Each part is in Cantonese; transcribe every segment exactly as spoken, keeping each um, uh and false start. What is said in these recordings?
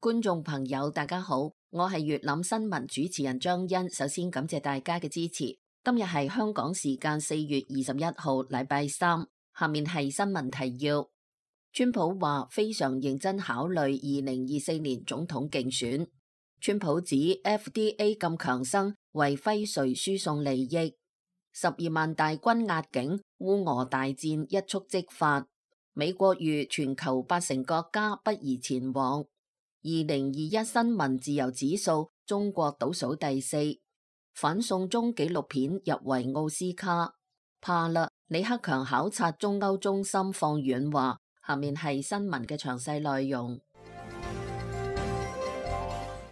觀眾朋友大家好，我係粵覽新聞主持人張欣。首先感謝大家嘅支持。今日係香港時間四月二十一號，禮拜三。下面係新聞提要。川普話非常認真考慮二零二四年總統競選。川普指 F D A 咁強生為輝瑞輸送利益。十二萬大軍壓境，烏俄大戰一觸即發。美國預全球八成國家不宜前往。二零二一新聞自由指數，中國倒數第四。反送中紀錄片入圍奧斯卡。怕啦，李克強考察中歐中心放軟話。下面係新聞嘅詳細內容。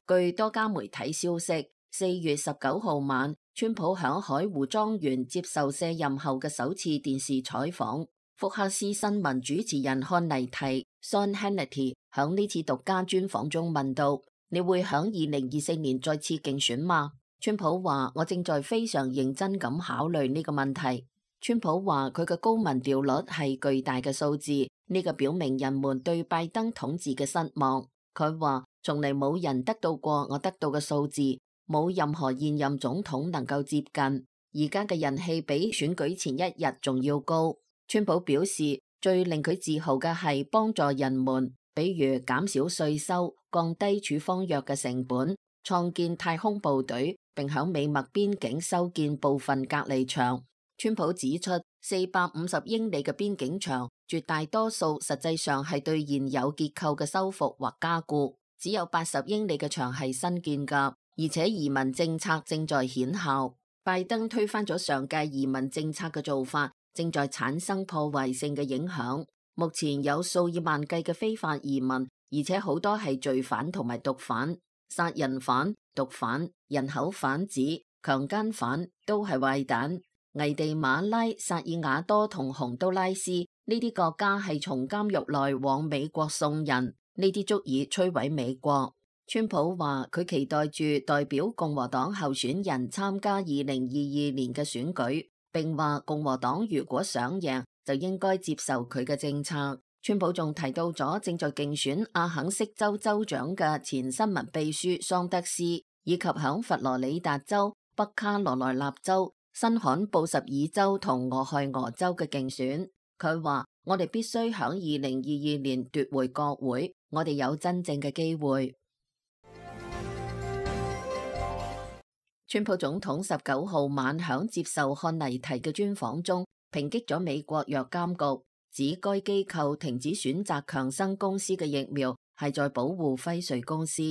據多家媒體消息，四月十九號晚，川普響海湖莊園接受卸任後嘅首次電視採訪。福克斯新聞主持人漢尼提 Sean Hannity 響呢次獨家專訪中問到：你會響二零二四年再次競選嗎？川普話：我正在非常認真咁考慮呢個問題。川普話佢嘅高民調率係巨大嘅數字，呢個表明人們對拜登統治嘅失望。佢話從嚟冇人得到過我得到嘅數字，冇任何現任總統能夠接近。而家嘅人氣比選舉前一日仲要高。川普表示，最令佢自豪嘅係幫助人們，比如減少稅收、降低處方藥嘅成本、創建太空部隊，並響美墨邊境修建部分隔離牆。川普指出，四百五十英里嘅邊境牆，絕大多數實際上係對現有結構嘅修復或加固，只有八十英里嘅牆係新建㗎，而且移民政策正在顯效。拜登推翻咗上屆移民政策嘅做法，正在產生破壞性嘅影響。目前有數以萬計嘅非法移民，而且好多係罪犯同埋毒販、殺人犯、毒販、人口販子、強姦犯，都係壞蛋。危地馬拉、薩爾瓦多同洪都拉斯呢啲國家係從監獄內往美國送人，呢啲足以摧毀美國。川普話佢期待住代表共和黨候選人參加二零二二年嘅選舉，並話共和黨如果想贏就應該接受佢嘅政策。川普仲提到咗正在競選阿肯色州州長嘅前新聞秘書桑德斯，以及響佛羅里達州、北卡羅來納州、新罕布什爾州同俄亥俄州嘅競選。佢話我哋必須響二零二二年奪回國會，我哋有真正嘅機會。川普總統十九號晚響接受漢尼提嘅專訪中，抨擊咗美國藥監局，指該機構停止選擇強生公司嘅疫苗係在保護輝瑞公司。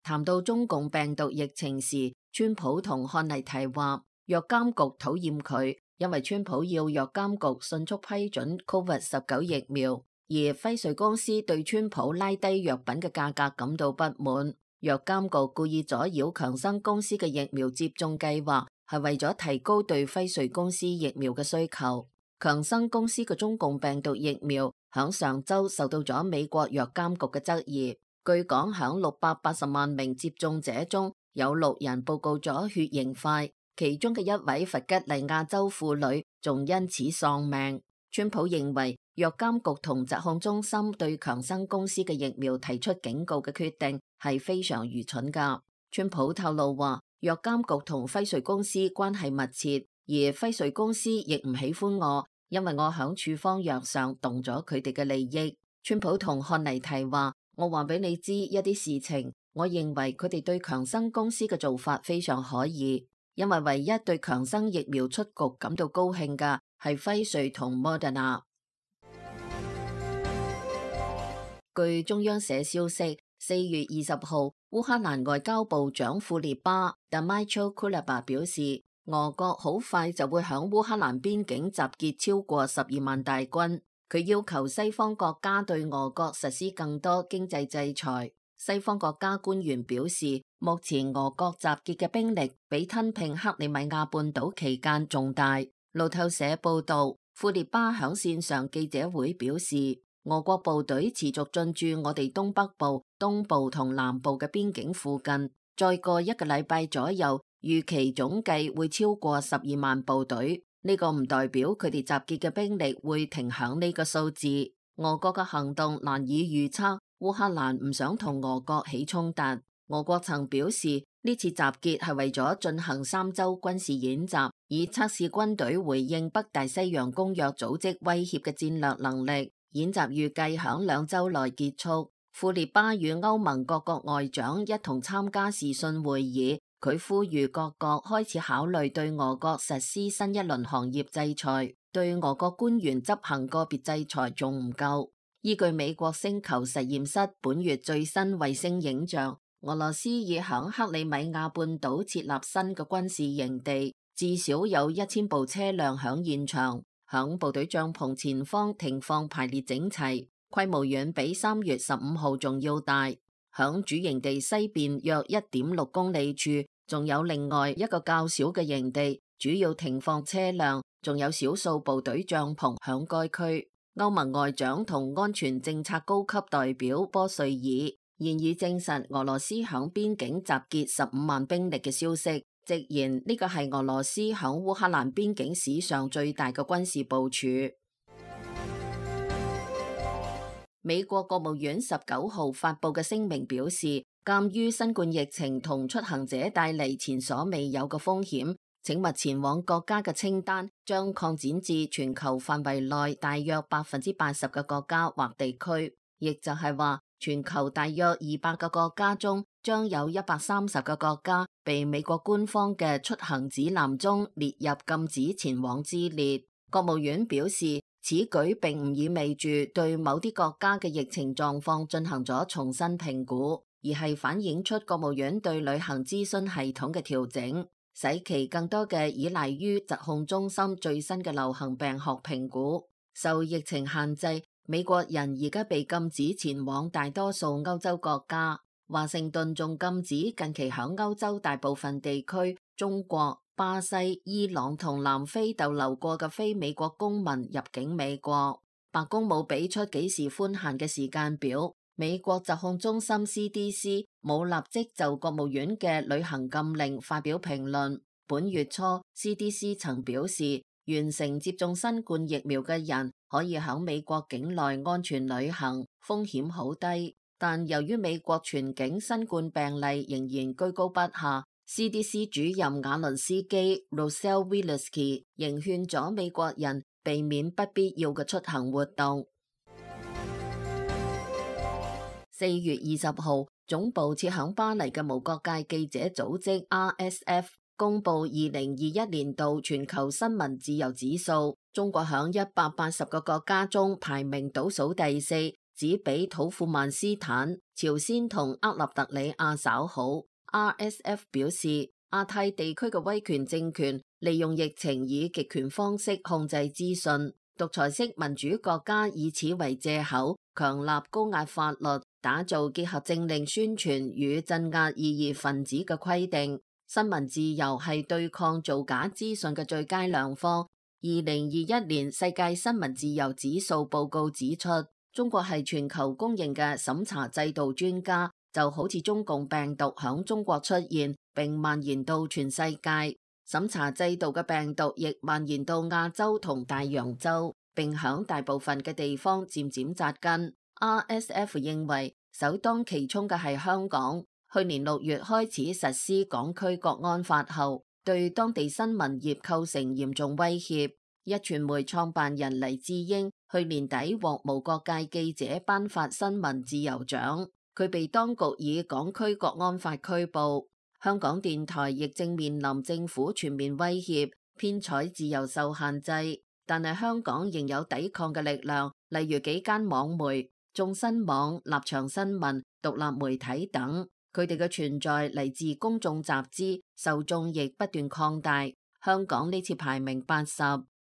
談到中共病毒疫情時，川普同漢尼提話藥監局討厭佢，因為川普要藥監局迅速批准 Covid 十九 疫苗，而輝瑞公司對川普拉低藥品嘅價格感到不滿。藥監局故意阻擾強生公司嘅疫苗接種計劃，係為咗提高對輝瑞公司疫苗嘅需求。強生公司嘅中共病毒疫苗響上周受到咗美國藥監局嘅質疑。據講響六百八十萬名接種者中，有六人報告咗血型塊，其中嘅一位弗吉尼亞州婦女仲因此喪命。川普認為藥監局同疾控中心對強生公司嘅疫苗提出警告嘅決定係非常愚蠢噶。川普透露話，藥監局同輝瑞公司關係密切，而輝瑞公司亦唔喜歡我，因為我響處方藥上動咗佢哋嘅利益。川普同漢尼提話，我話俾你知一啲事情，我認為佢哋對強生公司嘅做法非常可疑，因為唯一對強生疫苗出局感到高興嘅係輝瑞同 Moderna。據中央社消息，四月二十號，烏克蘭外交部長庫列巴 Dmytro Kuleba 表示，俄國好快就會響烏克蘭邊境集結超過十二萬大軍。佢要求西方國家對俄國實施更多經濟制裁。西方國家官員表示，目前俄國集結嘅兵力比吞併克里米亞半島期間仲大。路透社報道，庫列巴響線上記者會表示，俄國部隊持續進駐我哋東北部、東部同南部嘅邊境附近，再過一個禮拜左右，預期總計會超過十二萬部隊。呢個唔代表佢哋集結嘅兵力會停響呢個數字。俄國嘅行動難以預測，烏克蘭唔想同俄國起衝突。俄國曾表示，呢次集結係為咗進行三週軍事演習，以測試軍隊回應北大西洋公約組織威脅嘅戰略能力。演習預計響兩週內結束。庫列巴與歐盟各國外長一同參加視訊會議，佢呼籲各國開始考慮對俄國實施新一輪行業制裁，對俄國官員執行個別制裁仲唔夠。依據美國星球實驗室本月最新衛星影像，俄羅斯已響克里米亞半島設立新嘅軍事營地，至少有一千部車輛響現場，響部隊帳篷前方停放排列整齊，規模遠比三月十五號仲要大。響主營地西邊約一點六公里處，仲有另外一個較小嘅營地，主要停放車輛，仲有少數部隊帳篷響該區。歐盟外長同安全政策高級代表波瑞爾現已證實俄羅斯響邊境集結十五萬兵力嘅消息，直言呢個係俄羅斯響烏克蘭邊境史上最大嘅軍事部署。美國國務院十九號發布嘅聲明表示，鑒於新冠疫情同出行者帶嚟前所未有嘅風險，請勿前往國家嘅清單將擴展至全球範圍內大約百分之八十嘅國家或地區，亦就係話全球大約二百個國家中，將有一百三十個國家被美國官方嘅出行指南中列入禁止前往之列。國務院表示，此舉並唔意味住對某啲國家嘅疫情狀況進行咗重新評估，而係反映出國務院對旅行諮詢系統嘅調整，使其更多嘅依賴於疾控中心最新嘅流行病學評估。受疫情限制，美國人而家被禁止前往大多數歐洲國家。華盛頓仲禁止近期響歐洲大部分地區、中國、巴西、伊朗同南非逗留過嘅非美國公民入境美國。白宮冇俾出幾時寬限嘅時間表。美國疾控中心 C D C 冇立即就國務院嘅旅行禁令發表評論。本月初 C D C 曾表示，完成接種新冠疫苗嘅人可以響美國境內安全旅行，風險好低。但由於美國全境新冠病例仍然居高不下， C D C 主任瓦倫斯基 Rochelle Walensky 仍勸咗美國人避免不必要嘅出行活動。四月二十號，總部設響巴黎嘅無國界記者組織 R S F 公布二零二一年度全球新聞自由指數，中國響一百八十個國家中排名倒數第四，只比土庫曼斯坦、朝鮮同厄立特里亞稍好。R S F 表示，亞太地區嘅威權政權利用疫情以極權方式控制資訊，獨裁式民主國家以此為借口，強立高壓法律，打造結合政令宣傳與鎮壓異議分子嘅規定。新聞自由係對抗造假資訊嘅最佳良方。二零二一年世界新聞自由指數報告指出，中國係全球公認嘅審查制度專家，就好似中共病毒響中國出現並蔓延到全世界，審查制度嘅病毒亦蔓延到亞洲同大洋洲，並響大部分嘅地方漸漸扎根。R S F 認為首當其衝嘅係香港，去年六月開始實施港區國安法後，對當地新聞業構成嚴重威脅。壹傳媒創辦人黎智英去年底獲無國界記者頒發新聞自由獎，佢被當局以港區國安法拘捕。香港電台亦正面臨政府全面威脅，編採自由受限制，但係香港仍有抵抗嘅力量，例如幾間網媒、眾新網、立場新聞、獨立媒體等，佢哋嘅存在嚟自公眾集資，受眾亦不斷擴大。香港呢次排名八十。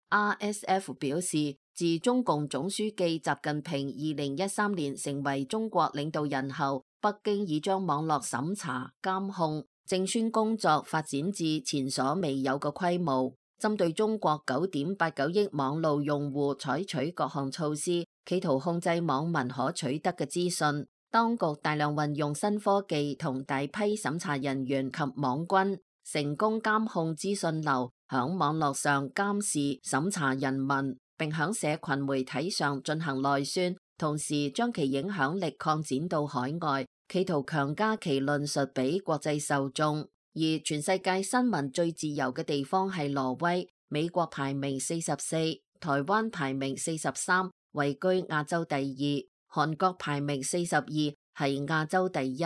R S F 表示，自中共總書記習近平二零一三年成為中國領導人後，北京已將網絡審查、監控、證宣工作發展至前所未有嘅規模，針對中國九點八九億網路用戶採取各項措施，企圖控制網民可取得嘅資訊。當局大量運用新科技同大批審查人員及網軍，成功監控資訊流，響網絡上監視審查人民，並響社群媒體上進行內宣，同時將其影響力擴展到海外，企圖強加其論述俾國際受眾。而全世界新聞最自由嘅地方係挪威，美國排名四十四，台灣排名四十三，位居亞洲第二，韓國排名四十二，係亞洲第一。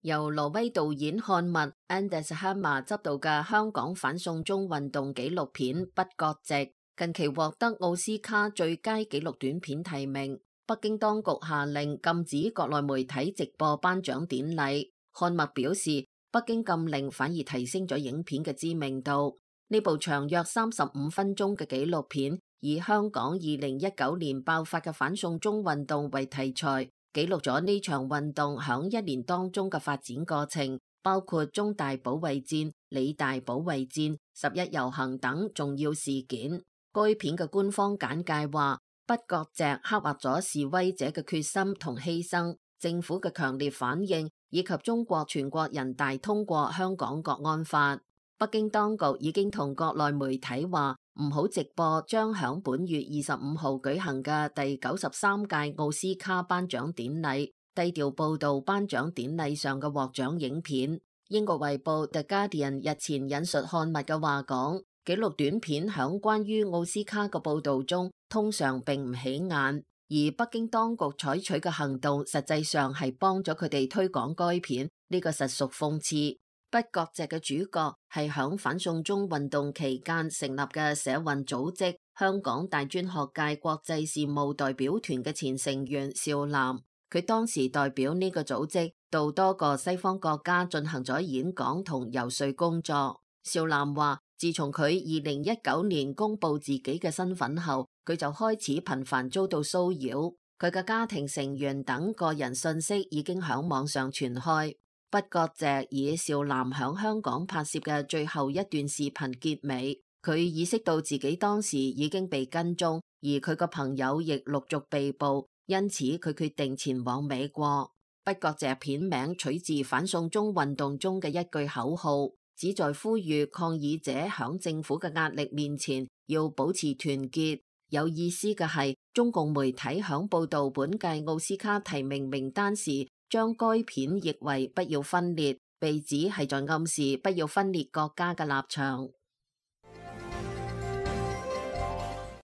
由挪威導演漢默 Anders Hammer 執導嘅香港反送中運動紀錄片《不割席》近期獲得奧斯卡最佳紀錄短片提名。北京當局下令禁止國內媒體直播頒獎典禮。漢默表示，北京禁令反而提升咗影片嘅知名度。呢部長約三十五分鐘嘅紀錄片，以香港二零一九年爆發嘅反送中運動為題材，記錄咗呢場運動響一年當中嘅發展過程，包括中大保衛戰、理大保衛戰、十一遊行等重要事件。該片嘅官方簡介話，不割席刻畫咗示威者嘅決心同犧牲，政府嘅強烈反應，以及中國全國人大通過香港國安法。北京當局已經同國內媒體話唔好直播將響本月二十五號舉行嘅第九十三屆奧斯卡頒獎典禮，低調報道頒獎典禮上嘅獲獎影片。英國衛報 The Guardian 日前引述漢默嘅話講，紀錄短片響關於奧斯卡嘅報道中通常並唔起眼，而北京當局採取嘅行動實際上係幫咗佢哋推廣該片，呢、這個實屬諷刺。不割席嘅主角係響反送中運動期間成立嘅社運組織香港大專學界國際事務代表團嘅前成員邵嵐，佢當時代表呢個組織到多個西方國家進行咗演講同遊說工作。邵嵐話，自從佢二零一九年公布自己嘅身份後，佢就開始頻繁遭到騷擾，佢嘅家庭成員等個人信息已經響網上傳開。不割席以邵嵐響香港拍攝嘅最後一段視頻結尾，佢意識到自己當時已經被跟蹤，而佢個朋友亦陸續被捕，因此佢決定前往美國。不割席片名取自反送中運動中嘅一句口號，旨在呼籲抗議者響政府嘅壓力面前要保持團結。有意思嘅係，中共媒體響報道本屆奧斯卡提名名單時，將該片譯為不要分裂，被指係在暗示不要分裂國家嘅立場。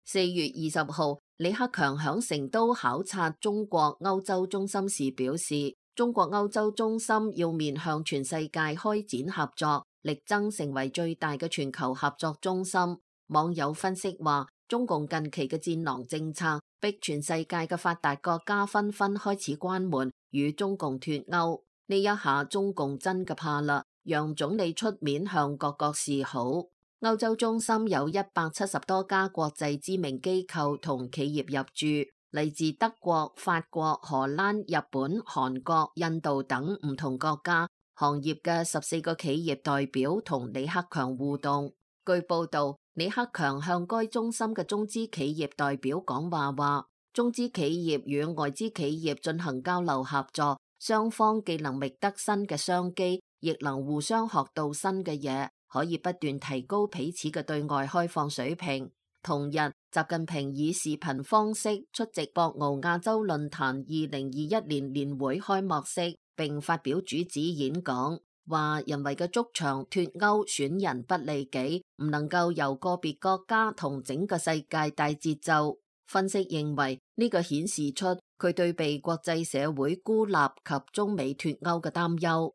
四月二十號，李克強響成都考察中國歐洲中心時表示，中國歐洲中心要面向全世界開展合作，力爭成為最大嘅全球合作中心。網友分析話，中共近期嘅戰狼政策逼全世界嘅發達國家紛紛開始關門與中共脫鈎，呢一下中共真嘅怕啦，讓總理出面向各國示好。歐洲中心有一百七十多家國際知名機構同企業入駐，嚟自德國、法國、荷蘭、日本、韓國、印度等唔同國家行業嘅十四個企業代表同李克強互動。據報道，李克強向該中心嘅中資企業代表講話話，中資企業與外資企業進行交流合作，雙方既能覓得新嘅商機，亦能互相學到新嘅嘢，可以不斷提高彼此嘅對外開放水平。同日，習近平以視頻方式出席博鰲亞洲論壇二零二一年年會開幕式，並發表主旨演講。話人為嘅築牆脫鈎損人不利己，唔能夠由個別國家同整個世界帶節奏。分析認為呢個顯示出佢對被國際社會孤立及中美脫鈎嘅擔憂。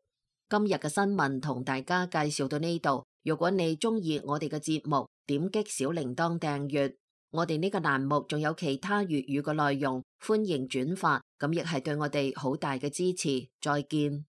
今日嘅新聞同大家介紹到呢度，如果你中意我哋嘅節目，點擊小鈴鐺訂閱。我哋呢個欄目仲有其他粵語嘅內容，歡迎轉發，咁亦係對我哋好大嘅支持。再見。